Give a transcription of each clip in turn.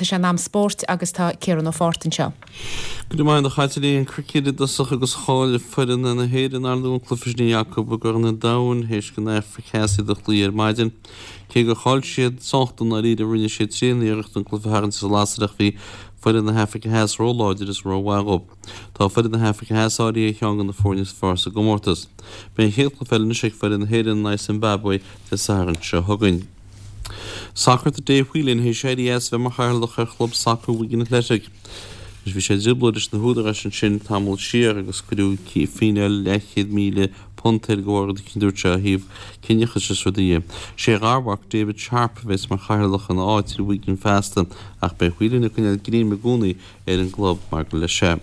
Tá sé in am spóirt agus tá Ciarán Ó Fátharta anseo. Go raibh maith agat a Chaitlín. Cruicéad i dtosach agus chaill foireann na hÉireann ar ndóigh an cluiche sin a bhí acu i gCorn an Domhain théis don Afraic Theas iad a chloí ar maidin. Cé gur chaill siad sách i ndáiríre rinne siad tréan-iarracht an cluiche a tharraingt as an lasair ach bhí foireann na hAfraice Theas róláidir is rómhaith dhóibh. Tá foireann na hAfraice Theas áirithe ar cheann de na foirne is fearr sa gcomórtas. Beidh an chéad chluiche eile anois ag foireann na hÉireann in aghaidh Zimbabwe Dé Sathairn seo chugainn. Sacar Tá Dave Whelan théis éirí as bheith mar chathaoirleach ar chlub sacair Wigan Athletic. Anois bhí sé i dtrioblóid leis na húdaráis ansin tamall siar agus cuireadh fíneáil leathchéad £1,000 air de bharr rud eicínt a dúirt sé ó thaobh ciníochais is rudaí dhe. Sé a gharmhac David Sharp a bheas mar chathaoirleach ina áit ar Wigan feasta ach beidh Whelan ag coinneáil greim i gcónaí ar an gclub mar gur leis é.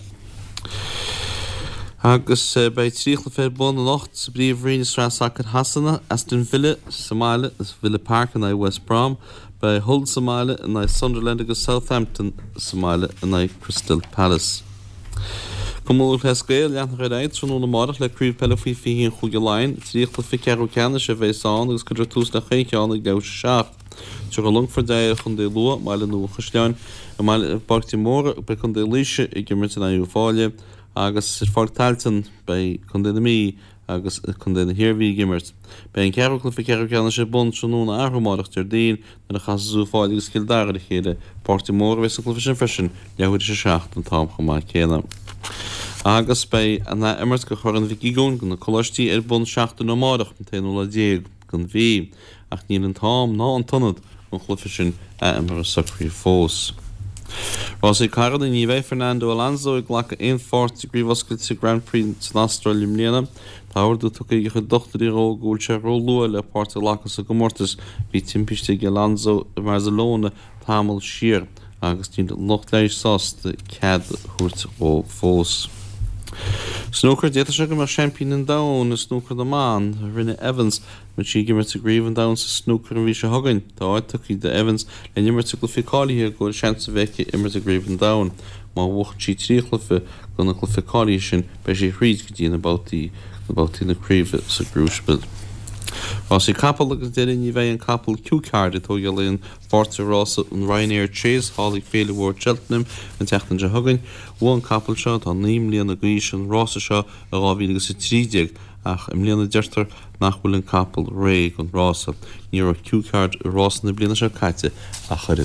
Agus beidh 3 chluiche ar bun anocht sa bPríomhroinn i Sraith Sacair Shasana, Aston Villa sa mbaile, Villa Park in aghaidh West Brom, beidh Hull sa mbaile in aghaidh Sunderland agus Southampton sa mbaile in aghaidh Crystal Palace. Cumann Lúthchleas Gael leanfar ar aghaidh tráthnóna amárach le Craobh Peile Faoi 21 Chúige Laighean. 3 chluiche ceathrú ceannais a bheas ann agus cuirfear tús le chaon cheann ag leathuair tar éis 7. Tabharfaidh Longfort aghaidh ar Chontae Lú i mBaile Nua an Chaisleáin. I mBaile i bPáirc de Mórdha beidh Contae Laoise ag imirt in aghaidh Uíbh Fhailí agus ar Pháirc Tailteann beidh Contae na Mí agus Contae na hIarmhí ag imirt. Beidh an ceathrú cluiche ceathrú ceannais ar bun tráthnóna arú amárach Déardaoin nuair a chasas Uíbh Fhailí agus Cill Dara ar a chéile. Páirc de Mórdha a bheas an cluiche sin freisin, leathuair tar éis a 7 an t-am chomh maith céanna. Agus beidh an ath-imirt de Chorn Mhic Uigeoin do na coláistí ar bun seachtain ó amárach, an t-aonú lá déag. den mhí, ach níl an t-am ná an t-ionad don chluiche sin athimeartha socraithe fós. Rásaí carranna, Ní bheidh Fernando Alonso ag glacadh aon pháirt i gCraobh Oscailte Grand Prix san Astráil i mbliana. Tá ordú tugtha ag a chuid dochtúirí dhó go bhfuil sé róluath le páirt a ghlacadh sa gcomórtas. Bhí timpiste ag Alonso i mBarcelona tamall siar agus níl an lucht leighis sásta cead a thabhairt dhó fós. Snúcar, D'fhéadfadh sé go mbeadh seaimpín an domhain i snúcar na mban, Reanne Evans, go mbeidh sí ag imirt i gCraobh an Domhain sa Snúcar an mhí seo chugainn. Tá áit tugtha d'Evans le n-imirt i gcluichí cáilithe go bhfuil seans a bheith aici imirt i gCraobh an Domhain. Má bhuachann sí 3 chluiche de na cluichí cáilithe sin beidh sí thríd go dtí na babhtaí na babhtaí na craoibhe sa gCrucible. Rásaí capall agus deireadh ní bheidh an capall Cue Card ag tógáil aon pháirt i rása an Ryanair Chase thall ag Féile Mhór Cheltenham an tseachtain seo chugainn. Bhuaigh an capall seo, atá 9 mbliana d'aois, an rása seo i 2013 ach i mbliana deirtear nach bhfuil an capall réidh don rása. Ní raibh Cue Card i rás na bliana seo caite ach oiread.